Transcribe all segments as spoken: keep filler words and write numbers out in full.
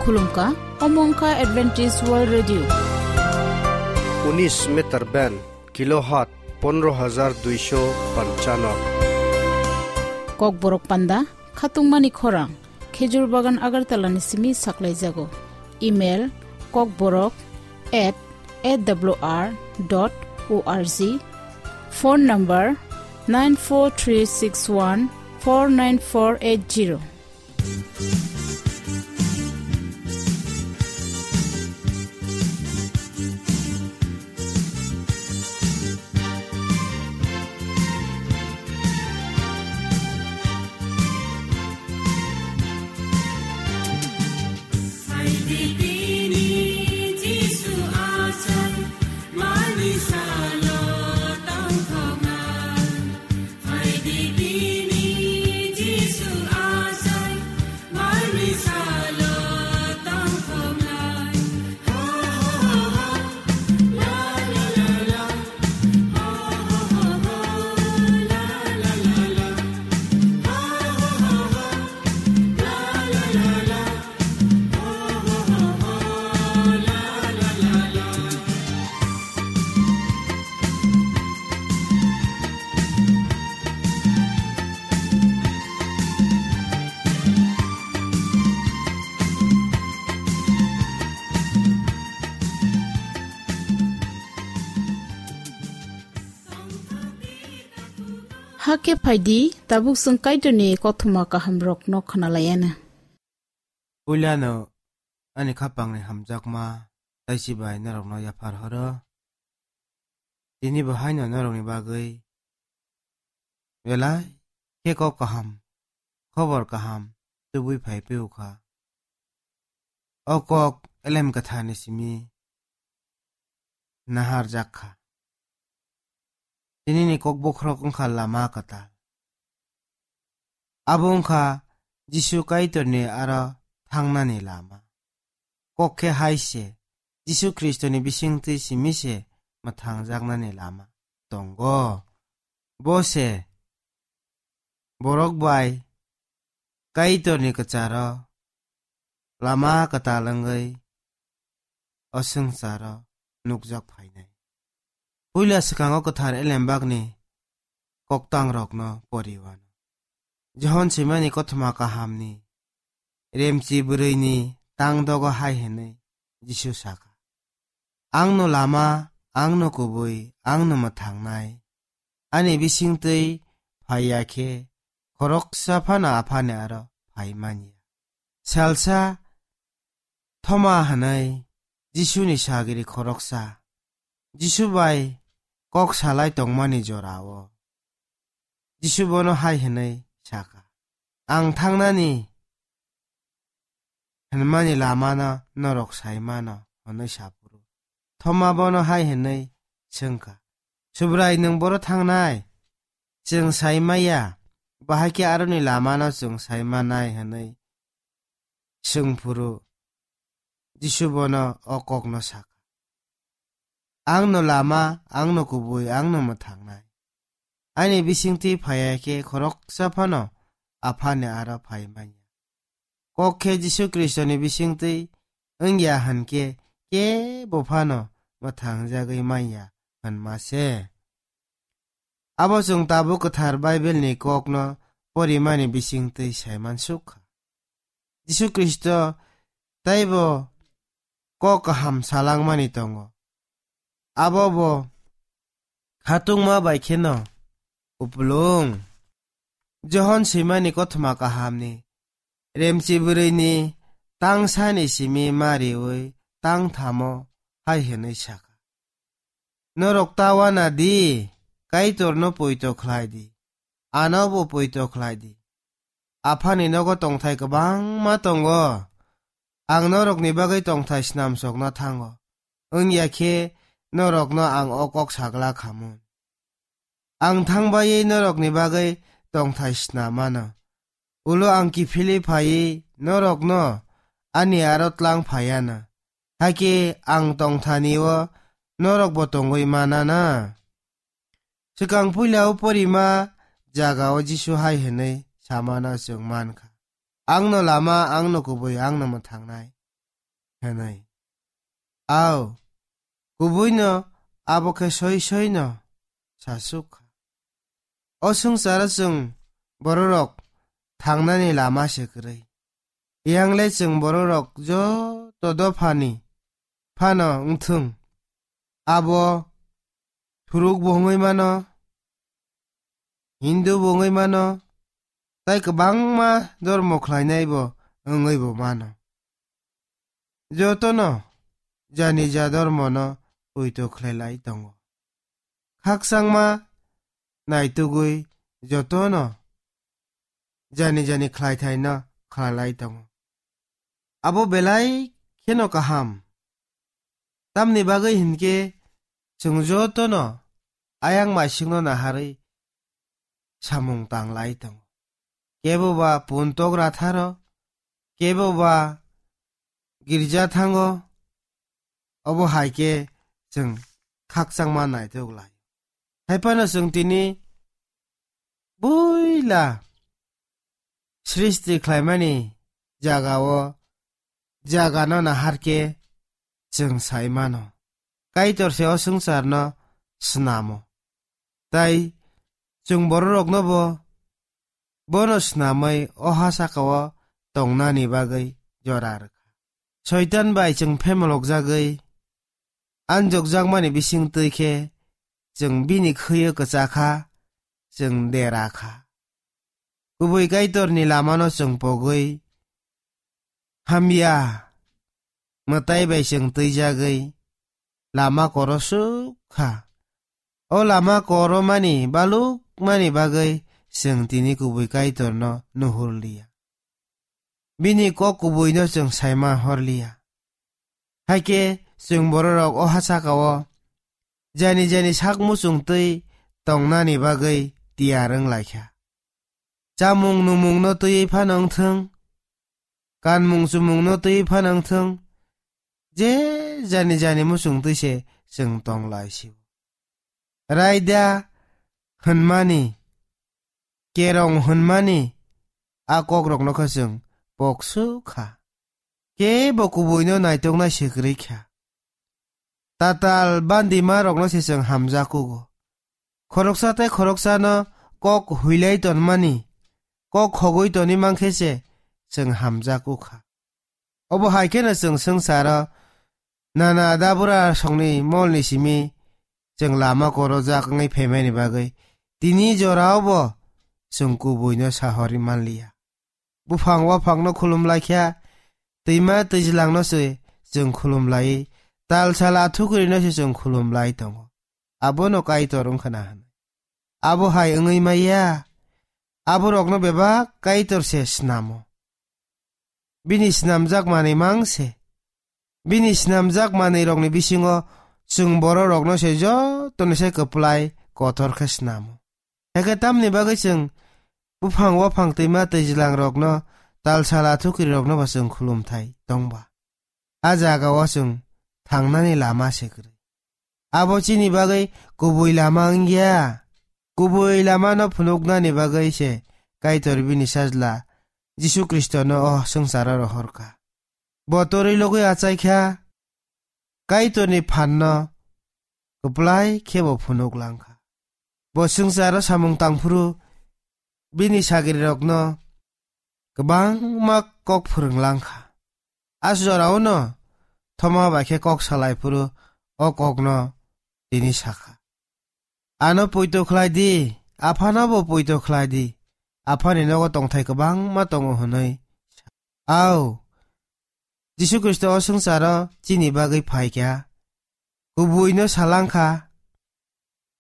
Khulumkha, omo wngkha Adventist World Radio. Unis meter band, kilohertz pondro hajar duisho panchanno. Kokborok panda, khatungmani khorang, Khejur Bagan Agartala ni simi saklaijago. Email, kokborok at A W R dot O R G. Phone number, nine four three six one four nine four eight zero. Hakhe phaidi, tabuk chwng Kaitorni kothoma kahamrokno khwnalaianw. Puilano ani khapangni hamjakma taichi bai norokno yaphar horo. Tini bo haino norokni bagwi belai khe kok kaham, khobor kaham tubui phai phiyokha. O kok Elem Kwtharni simi naharjak kha. Tinini kok bokhorok wngkha lama kwtal. Abo wngkha Jisu Kaitorni aro thangnani lama. Kok khe hai se, Jisu Khristoni bisingtwi simi se mwthangjaknani lama tongo. Bo se borok bai Kaitorni kwcharo lama kwtal wngwi o swngcharo nukjak phainai. Puila swkango kwthar elembakni koktangrokno poriwano. Johon swimani kothoma kahamni remchi bwrwini tang dogo hai hwnwi Jisu sakha, "Angno lama, angno kubui, angno mwthangnai. Ani bisingtwi phaiya khe khoroksa phano Aphani aro phai manya." Salsa Thoma hwnwi Jisuni sagiri khoroksa Jisu bai kok salai tongmani jorao Jisu bono hai hwnwi sakha, "Ang thangnani hwnmani lamano norok sai mano," hwnwi sa phuru Thoma bono hai hwnwi swngkha, "Subrai, nwng boro thangnai? Chwng sai maya, bahai khe aroni lamano chwng sai manai," hwnwi swng phuru Jisu bono o kokno sakha, "Angno lama, angno kubui, angno mwthangnai. Ani bisingtwi phaiya khe khoroksa phano Aphani aro phai manya. Kok khe Jisu Khristoni bisingtwi wngya hwn khe kebo phano mwthangjagwi manya hwnma se." Abo chwng tabuk kwthar Baibelni kokno porimani bisingtwi saiman suk kha. Jisu Khristo teibo kok kaham salangmani tongo. Abo bo khatungma bai kheno kupulung. Johon swimani kothoma kahamni remchi bwrwini tangsani simi mariwi tangthamo hai hwnwi sakha, "Norok ta wana di, Kaitorno poito khlai di, ano bo poito khlai di. Aphani nogo tongthai kwbangma tongo. Ang norokni bagwi tongthai snamsokna thango, wngya khe norokno ang o kok sagla khamun. Ang thangbai norokni bagwi tongthai snamano. Ulo ang kiphilwi phaiwi norokno ani aro tlang phaiano. Hakhe ang tongthani-o norokbo tongwi manana." Swkang puila o porima jagao Jisu hai hwnwi samano chwng mankha, "Angno lama, angno kubui, angno mwthangnai. hwnwi. Ao, kubuino abo khe soi soino sasuk kha. O swngcharo chwng bororok thangnani lama se kwrwi. Yang le chwng bororok joto dophani phano wngthung, abo Thuruk bo wngwi mano, Hindu bo wngwi mano, tai kwbangma dormo khlainai bo wngwi bo mano. Jotono jani ja dormono poito khlai lai tongo. Khakchangma naitugwi jotono jani jani khlaithaino khlai lai tongo. Abo belai kheno kaham. Tamni bagwi hinkhe chwng jotono ayang maisingno naharwi samung tang lai tongo. Kebo ba puntok ratharo, kebo ba girja thango, obo hai khe chwng khakchangma naitok lai. Hai phano chwng tini buila srishti khlaimani jagao, jagano nahar khe chwng sai mano. Kaitor se o swngcharno snamo. Tai chwng bororokno bo bono snamwi o ha sakao tongnani bagwi jora rwkha. Soitan bai chwng phemolokjagwi anjokjakmani bisingtwi khe chwng bini khwiyo kwchakha, chwng derakha. Kubui Kaitorni lamano chwng pogwi hamya mwtai bai chwng twijagwi lama korosuk kha. O lama koromani balukmani bagwi chwng tini kubui Kaitorno nuhurliya. Bini kok kubuino chwng saima horliya. Hai khe chwng bororok o ha sakao jani jani sak muchung twi tongnani bagwi tiyar wng lai kha. Chamung numungno twiwi phano wng thung, kanmung chumungno twiwi phano wng thung, je jani jani muchung twi se chwng tong lai si. Raida hwnmani, kerong hwnmani a kokrokno khe chwng poksu kha. Kebo kubuino naitoknai se kwrwi kha. Tatal bandima rokno se chwng hamjakugo. Khoroksa tei khoroksano kok huilai tonmani, kok khogwi toni mankhe se chwng hamjakukha. Obo hai kheno chwng swngcharo nana dabura songni molni simi chwng lama korojak wngwi phaimani bagwi tini jorao bo chwng kubuino sahorwi manliya. Buphang waphangno khulum lai kha, twima twijlangno se chwng khulum lai, tal sal athukurino se chwng khulum lai tongo. Abono Kaitor wng khna hwn. Abo hai wngwi maya, aborokno bebak Kaitor se snamo. Bini snamjak manwi mang se. Bini snamjak manwirokni bisingo chwng bororokno se jotono se kwplai kotor khe snamo. Hakhe tamni bagwi chwng buphang waphang twima twijlangrokno, tal sal athukirirokno bo chwng khulumthai tongba? A jagao chwng thangnani lama se kwrwi. Abo chini bagwi kubui lama wngya. Kubui lamano phunuknani bagwi se Kaitor bini Sajla Jisu Khristono o swngcharo rohorkha. Bo torwi logwi achaikha, Kaitorni phanno kwplai khe bo phunuk langkha. Bo swngcharo samung tangphuru bini sagrirokno kwbangma kok phwrwng langkha. A joraono thoma bai khe kok salai phuru o kokno tini sakha. Ano poito khlai di, aphano bo poito khlai di, aphani nogo tongthai kwbangma tongo hwnwi. Ao, Jisu Khristo o swngcharo chini bagwi phaikha, kubuino salangkha,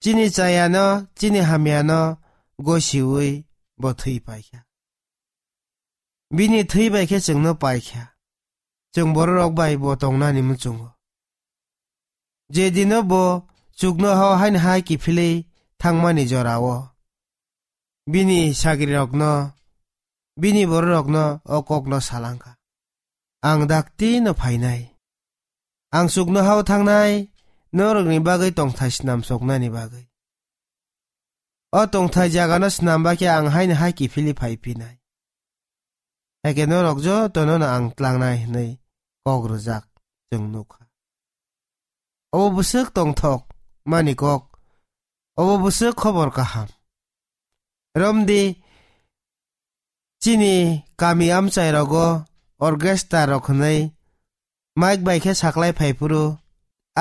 chini chayano, chini hamyano gosiwi bo thwi paikha. Bini thwi bai khe chwngno paikha. Chwng bororok bai bo tongnani muchungo. Je dino bo chuknohao haino hai kiphilwi thangmani jorao bini sagrirokno, bini bororokno o kokno salangkha, "Ang daktino phainai. Ang chuknohao thangnai, norokni bagwi tongthai snamsoknani bagwi. O tongthai jagano snamba khe ang haino hai kiphilwi phai phinai. Hakhe norok jotono ang tlangnai," hwnwi kok rwjak. chwng nukha. Obo bwswk tongthok mani kok, obo bwswk khobor kaham. Romdi chini kami amchai rogo orchestra rok hwnwi mic bai khe saklai phai phuru,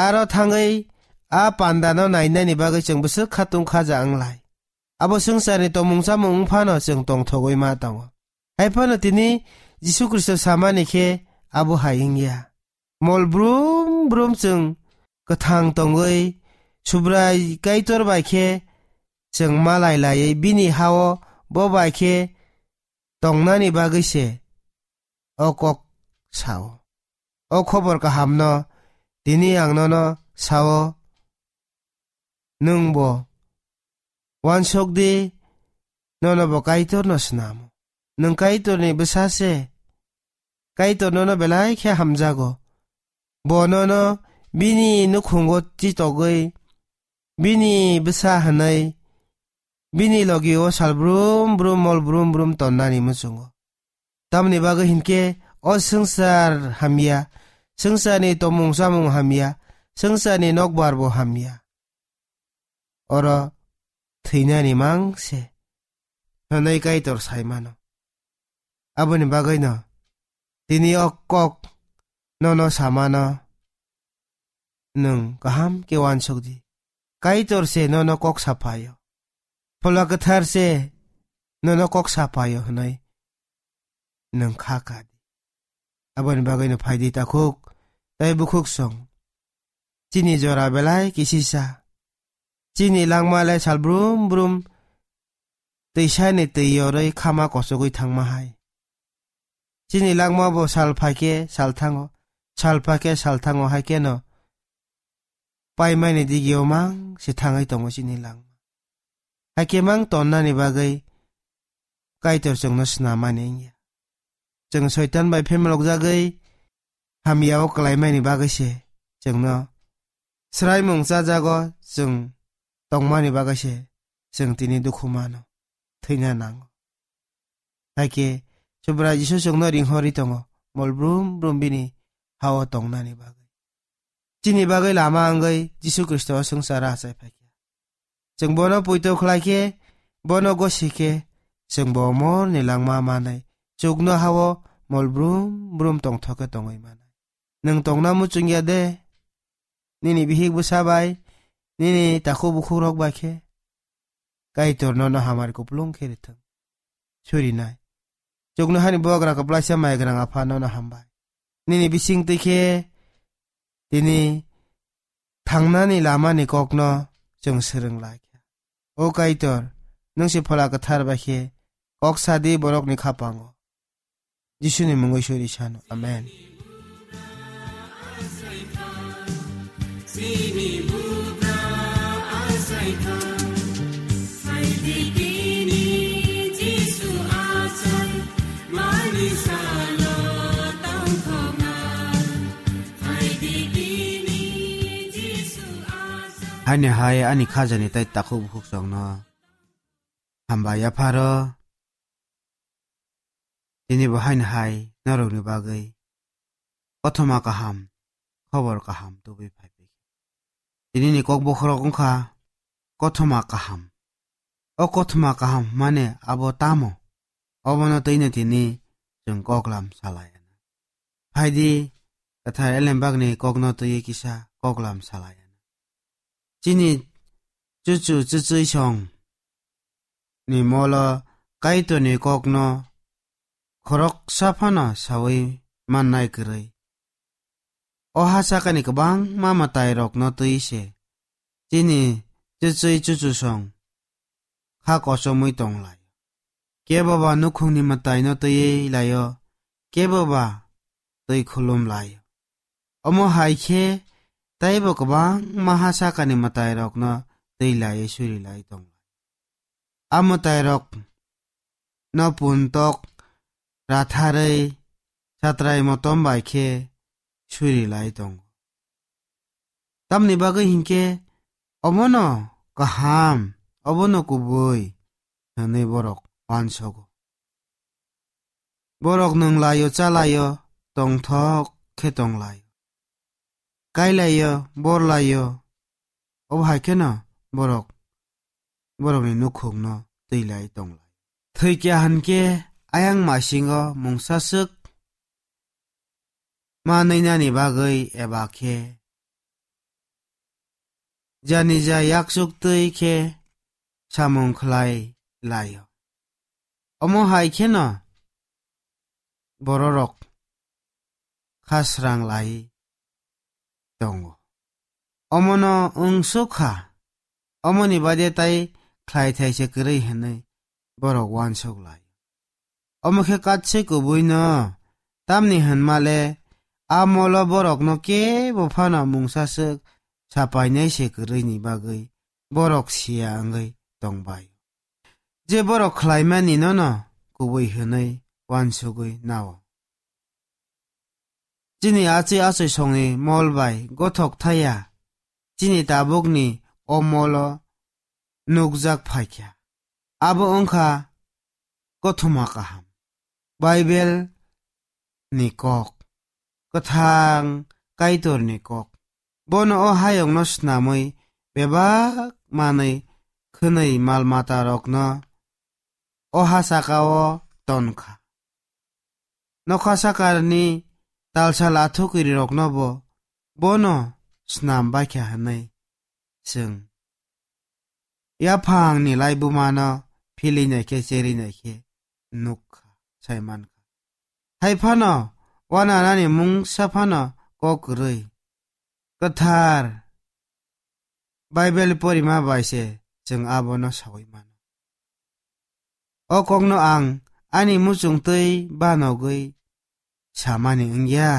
aro thangwi a panda no nainani bagwi chwng bwswk khatung khaja wnglai. Abo swngcharni tomung chamung wngphano chwng tongthogwi ma tongo. Haiphano tini Jisu Khristo samani khe abo hai wngya. Mol brum brum chwng kwthang tongwi Subrai Kaitor bai khe chwng malai laiwi bini hao bo bai khe tongnani bagwi se o kok sao. O khobor kahamno tini ang nono sao, nwng bo uansuk di, nono bo Kaitorno snamo. Nwng Kaitorni bwsa se, Kaitor nono belai khe hamjago. Bo nono bini nukhungo chitogwi, bini bwsa hwnwi, bini logi o sal brum brum mol brum brum tonnani muchungo. Tamni bagwi hinkhe o swngchar hamya, swngcharni tomung chamung hamya, swngcharni nokbar bo hamya. Oro thwinani mang se hwnwi Kaitor sai mano. Aboni bagwino tini o kok nono samano nwng kaham khe uansuk di. Kaitor se nono kok saphaio. Phola Kwthar se nono kok saphaio hwnwi nwng kha ka di. Aboni bagwino phai di takhuk tei bukhuk song. Chini jora belai kisisa. Chini langma le sal brum brum twisani twi yorwi khama kochogwi thangma hai. Chini langma bo sal phaikhe sal thango, sal phaikhe sal thango, hai kheno paimani digio mang se thangwi tongo chini langma. Hai khe mang tonnani bagwi Kaitor chwngno snamani wngya. Chwng Soitan bai phemlokjagwi hamya o kwlaimani bagwi se chwngno swraimung chajago, chwng tongmani bagwi se chwng tini dukhu mano, thwina nango. Hai khe Subrai Jisu chwngno ringhorwi tongo, mol brum brum bini hao tongnani bagwi. Chini bagwi lama wngwi Jisu Khristo o swngcharo achai phaikha. Chwng bono poito khlai khe, bono gosi khe, chwng bo morni langma manwi chuknoha-o mol brum brum tongthok khe tongwi manai. Nwng tongna muchungya de? Nini bihik bwsa bai, nini takhuk bukhukrok bai khe? Kaitor nono hamari kupulung khe rithwng. Surinai. Chuknohani bubagra kwplaisa maigrang Apha nono hambai. Nini bisingtwi khe tini thangnani lamani kokno chwng swrwng lai kha. O Kaitor, nwng se Phola Kwthar bai khe kok sa di borokni khapango. Jisuni mungwi suri sano. Amen. Haini hai ani khajani tei takhuk bukhuk songno hambai yapharo. Tini bo haini hai norokni bagwi kothoma kaham, khobor kaham tubui phai phai kha. Tini ni kok bokhorok wngkha kothoma kaham. O kothoma kaham hwnmani abo tamo? Obono twino tini chwng koklam salai anw. Phaidi, kwthar elembakni kokno twiwi kisa koklam salai anw. Chini chuchu chuchwi song ni molo Kaitorni kokno khoroksa phano saui mannai kwrwi. O ha sakani kwbangma mwtairokno twi se chini chuchwi chuchusong kha kochomwi tong lai. Kebo ba nukhungni mwtaino twiwi lai-o, kebo ba twi khulum lai-o. Omo hai khe teibo kwbangma ha sakani mwtairokno twi laiwi suri lai tong lai. A mwtairokno puntok ratharwi satrai motom bai khe suri lai tongo. Tamni bagwi hinkhe omono kaham, obono kubui hwnwi borok uansogo. Borok nwng lai-o, cha lai-o, tongthok khe tong lai-o. kailaio, borlaio, obo hai kheno borok borokni nukhungno twilai tonglai. Thwikya hinkhe ayang masingo mungsaswk manwinani bagwi eba khe janija yakchuk twi khe samung khlai laio. Omo hai kheno bororok khasrang lai tongo. Omono wngsuk kha, omoni baide tai khlai thaise kwrwi hwnwi borok uansuk lai. Omo khe katswi kubuino, tamni hwnmale a molo borokno kebo phano mungsaswk sapainai se kwrwini bagwi borok siya wngwi tongbai. Je borok khlaimani nono kubui hwnwi uansugwi nao. Chini achwi achwi songni mol bai gothok thaya, chini tabukni o molo nukjak phaikha. Abo wngkha kothoma kaham. Bible ni kok, kwthang Kaitor ni kok. Bono o hayungno snamwi bebak manwi khwnwi mal mata rokno o ha saka o ton kha. Nokha sakani talsal athukiri rokno bo bono snam baikha hwnwi chwng yaphangni laibumano philinai khe cherinai khe nuk kha, sai man kha. Hai phano wananani mungsa phano kok kwrwi. Kwthar Bible porima bai se chwng abono saui mano. O kokno ang ani muchung twi banogwi samani wngya.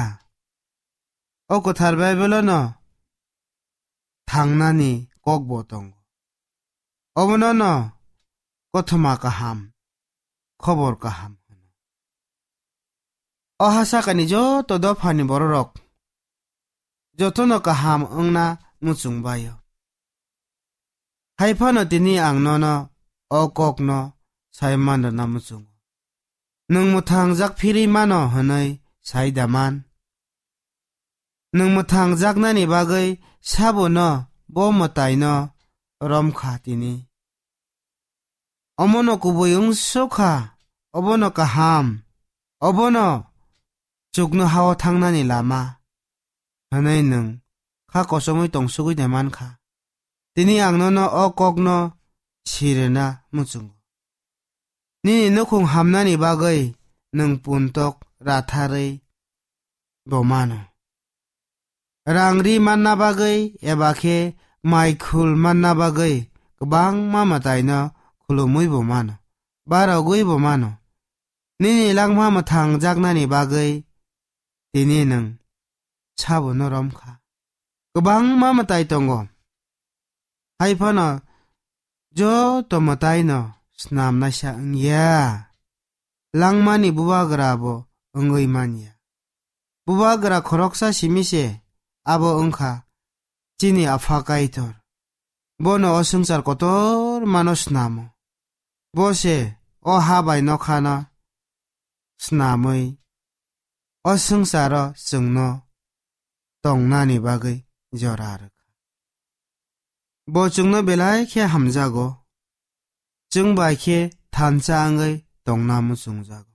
O kwthar Bible-o no thangnani kok bo tongo. Obono no kothoma kaham, khobor kaham hwno. O ha sakani joto dophani bororok jotono kaham wngna muchung baio. Hai phano tini ang nono o kokno sai manrwna muchungo. Nwng mwthangjak phirwi mano hwnwi sai da man? Nwng mwthangjaknani bagwi sabono bo mwtaino romkha tini. Omono kubui wngsukha, obono kaham, obono chuknohao thangnani lama, hwnwi nwng kha kochomwi tongsugwi naimankha. Tini ang nono o kokno sirwna muchungo. Nini nukhung hamnani bagwi nwng puntok ratharwi bo mano. Rang ri manna bagwi eba khe mai khul manna bagwi kwbangma mwtaino khulumwi bo mano, barogwi bo mano. Nini langma mwthangjaknani bagwi tini nwng sabono romkha. Kwbangma mwtai tongo. Hai phano joto mwtaino snamnaisa wngya. Langmani bubagra bo wngwi manya. Bubagra khoroksa simi se abo wngkha chini Apha Kaitor. Bono o swngchar kotor mano snamo. Bo se o ha bai nokhano snamwi o swngcharo chwngno tongnani bagwi jora rwkha. Bo chwngno belai khe hamjago, chwng bai khe thansa wngwi tongna muchungjago.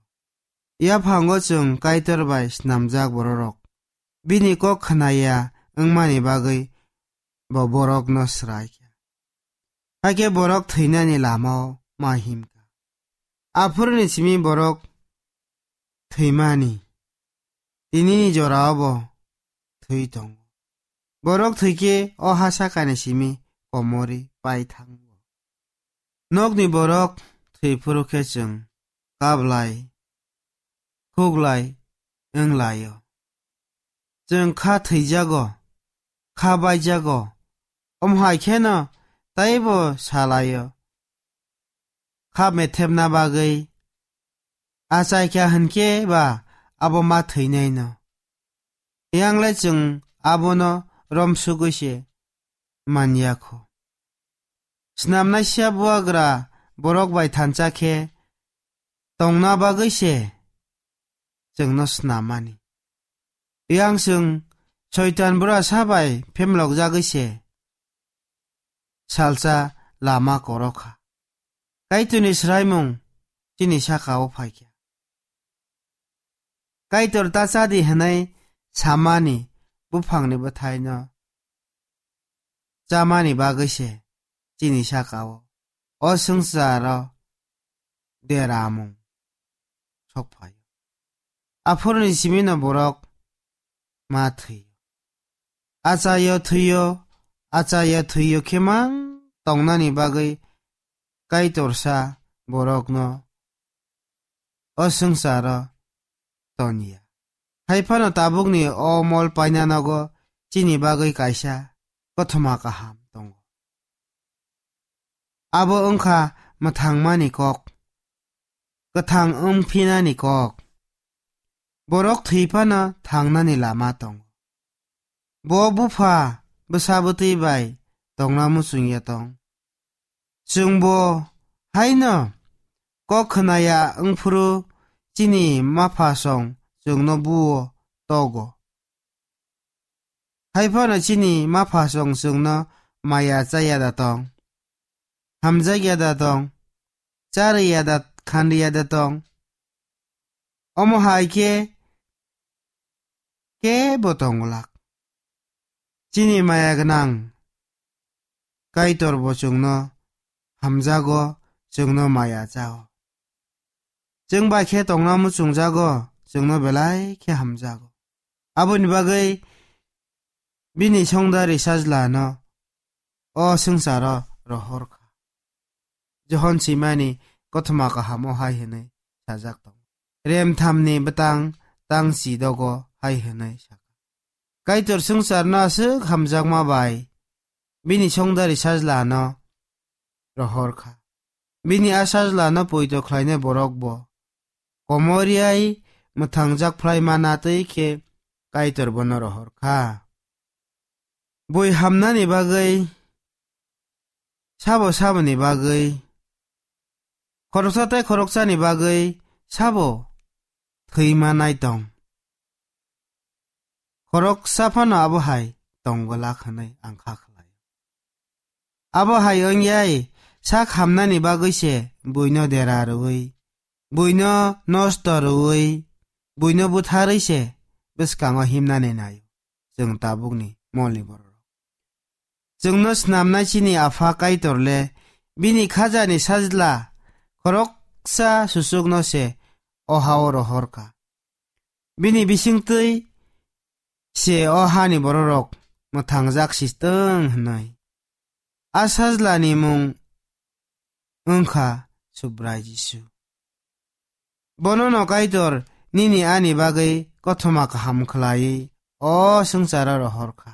Yaphango chwng Kaitor bai snamjak bororok bini kok khnaya wngmani bagwi bo borokno swraikha. Hakhe borok thwinani lamao ma himkha. Aphuruni simi borok thwimani, tinini jorao bo thwi tongo. Borok thwikhe o ha sakani simi komorwi pai thango. Nokni borok thwi phuru khe chwng kablai, khuklai wng lai-o. Chwng kha thwijago, kha baijago, omo hai kheno teibo sa lai-o. Kha methepna bagwi achai kha hinkhe ba abo ma thwinaino. Yang le chwng abono romsugwi se man ya kho. Snamnaisa bubagra borok bai thansa khe tongna bagwi se chwngno snammani. Yang chwng Soitan bura sa bai phemlokjagwi se salsa lama korok kha. Kaitorni swraimung chini saka-o phai kha. Kaitor ta cha di hwnwi samani buphangni bwthaino chamani bagwi se chini saka-o o swngcharo deramung sok phaio. Aphuruni simino borok ma thwio. Achaio thwio, achaio thwio khe mang tongnani bagwi Kaitorsa borokno o swngcharo toniya. Hai phano tabukni o mol paina nogo chini bagwi kaisa kothoma kaham tongo. Abo wngkha mwthangmani kok, kwthang wng phinani kok. Borok thwi phano thangnani lama tongo. Bo bupha bwsa bwtwi bai tongna muchungya tong. Chwngbo haino kok khwnaya wngphuru chini maphasong chwngno buo togo. Hai phano chini maphasong chwngno maya chaya da tong, hamjakya da tong, charwya da khanriya da tong. Omo hai khe kebo tongwlak. Chini maya gwnang Kaitor bo chwngno hamjago, chwngno maya chao. Chwng bai khe tongna muchungjago, chwngno belai khe hamjago. Aboni bagwi bini songdari sajlano o swngcharo rohor kha. Johon simani kothoma kahamo hai hwnwi sajak tongo. Remthamni bwtang tang si dogo hai hwnwi sakha. Kaitor swngcharno aswk hamjakma bai bini songdari sajlano rohor kha. Bini a sajlano poito khlainai borok bo komoriai mwthangjak phlai mana twi khe Kaitor bono rohor kha. Bui hamnani bagwi, sabo saboni bagwi, khoroksa tei khoroksani bagwi sabo thwi manai tong. Khoroksa phano abo hai tong glak hwnwi ang kha khlai. Abo hai wngyai sak hamnani bagwi se buino dera rwui, buino nosto rwui, buino butharwi se bwskango himnani naio chwng tabukni molni bororok. Chwngno snamnai chini Apha Kaitor le bini khajani sajla khoroksa susukno se o ha-o rohor kha. Bini bisingtwi se o hani bororok mwthangjak si tong hwnwi. A sajlani mung wngkha Subrai Jisu. Bonono Kaitor nini ani bagwi kothoma kaham khlaiwi o swngcharo rohor kha.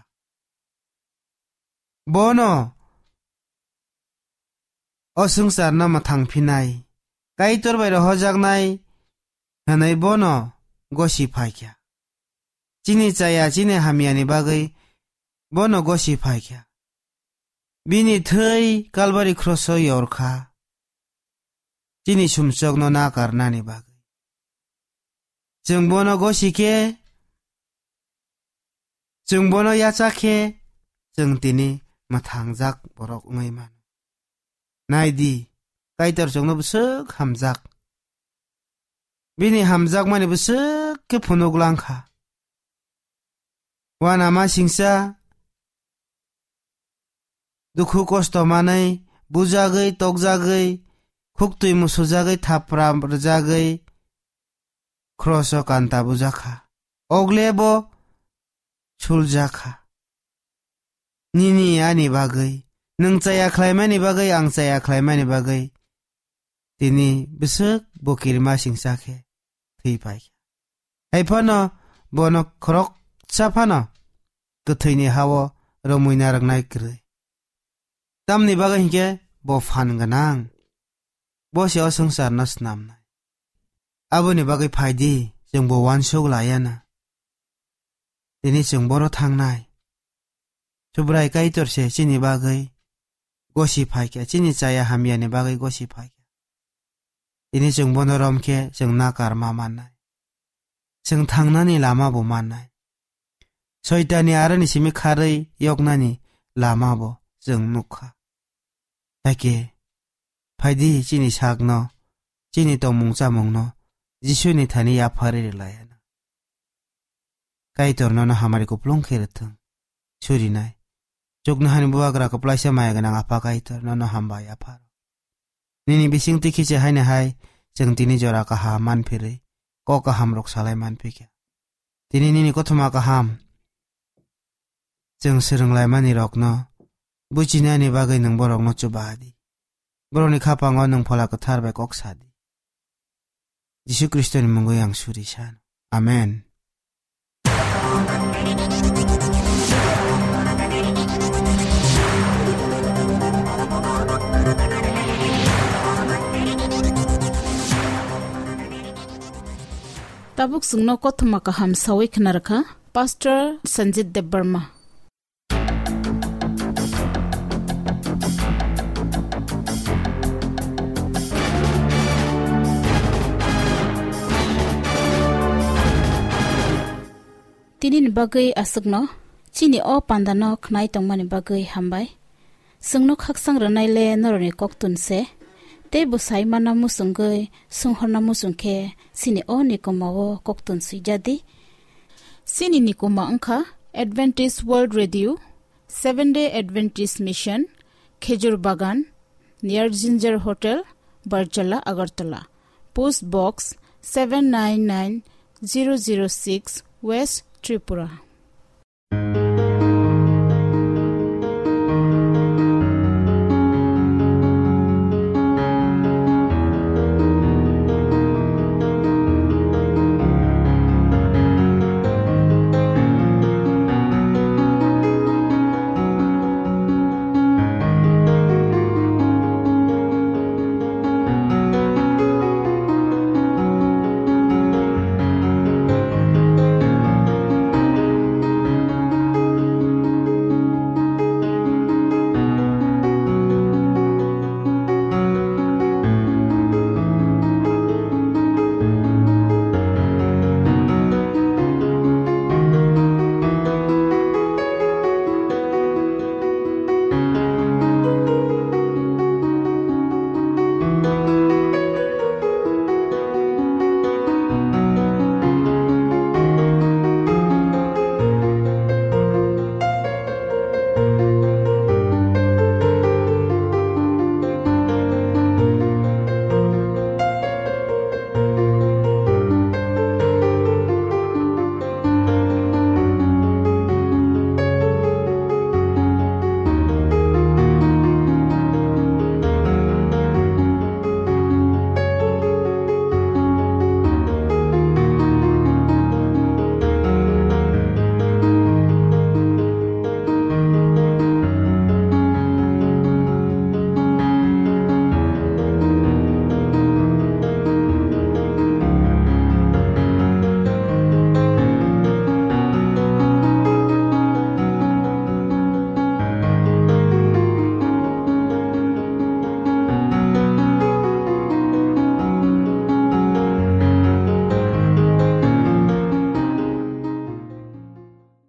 Bono o swngcharno mwthang phinai, Kaitor bai rohojaknai hwnwi bono gosi phai kha. Chini chaya, chini hamyani bagwi bono gosi phai kha. Bini thwi Kalbari kroso yor kha, chini sumsokno nakarnani bagwi. Chwng bono gosi khe, chwng bono yacha khe, chwng tini mwthangjak borok wngwi mano. Nai di, Kaitor chwngno bwswk hamjak. Bini hamjakmani bwswk khe phunuk lang kha. Uanama singcha, dukhu kosto manwi, bujagwi, tokjagwi, khuktwi musujagwi, thapra rwjagwi, kroso kanta bujakha. Ogle bo suljakha. Nini ani bagwi, nwng chaya khlaimani bagwi, ang chaya khlaimani bagwi, tini bwswk bo kirima singcha khe thwi pai kha. Hai phano bono khoroksa phano kwthwini ha-o romwi narwknai kwrwi. Tamni bagwi hinkhe bo phan gwnang, bo se o swngcharno snamnai. Aboni bagwi phai di, chwng bo uansuk laiya na. Tini chwng boro thangnai. Subrai Kaitor se chini bagwi gosi phai kha, chini chaya hamyani bagwi gosi phai kha. Tini chwng bono rom khe chwng nakar ma mannai. Chwng thangnani lama bo mannai. Soitani aroni simi kharwi yoknani lama bo chwng nukha. Hakhe phaidi chini sakno, chini tongmung chamungno Jisuni thani yapharwi rwlaiya. Kaitor nono hamari kuplung khe rwthwng. Surinai. Chuknohani bubagra kwplaisa maya gwnang Apha Kaitor nono hambai yapharo. Nini bisingtwi khichi haino hai chwng tini jora kaham manphirwi kok kahamrok salai manphikha. Tini nini kothoma kaham chwng swrwnglaimani rokno buchinani bagwi nwng borokno chuba di. Borokni khapango nwng Phola Kwthar bai kok sa di. Jisu Khristoni mungwi ang suri sano. Amen. Tabuk chwngno kothoma kaham sawi khna rwkha Pastor Sanjit Debbarma. Tinini bagwi aswkno chini o pandano khnai tongmani bagwi hambai. Chwngno khakchang rwnaile norokni koktun se, tei bwsai mana muchungwi sunghorna muchung khe chini o nikoma o koktun swijadi. Chini nikoma wngkha Adventist World Radio, Seventh Day Adventist Mission, Khejur Bagan, near Ginger Hotel, Barjala, Agartala. Post Box seven nine nine zero zero six, West Tripura.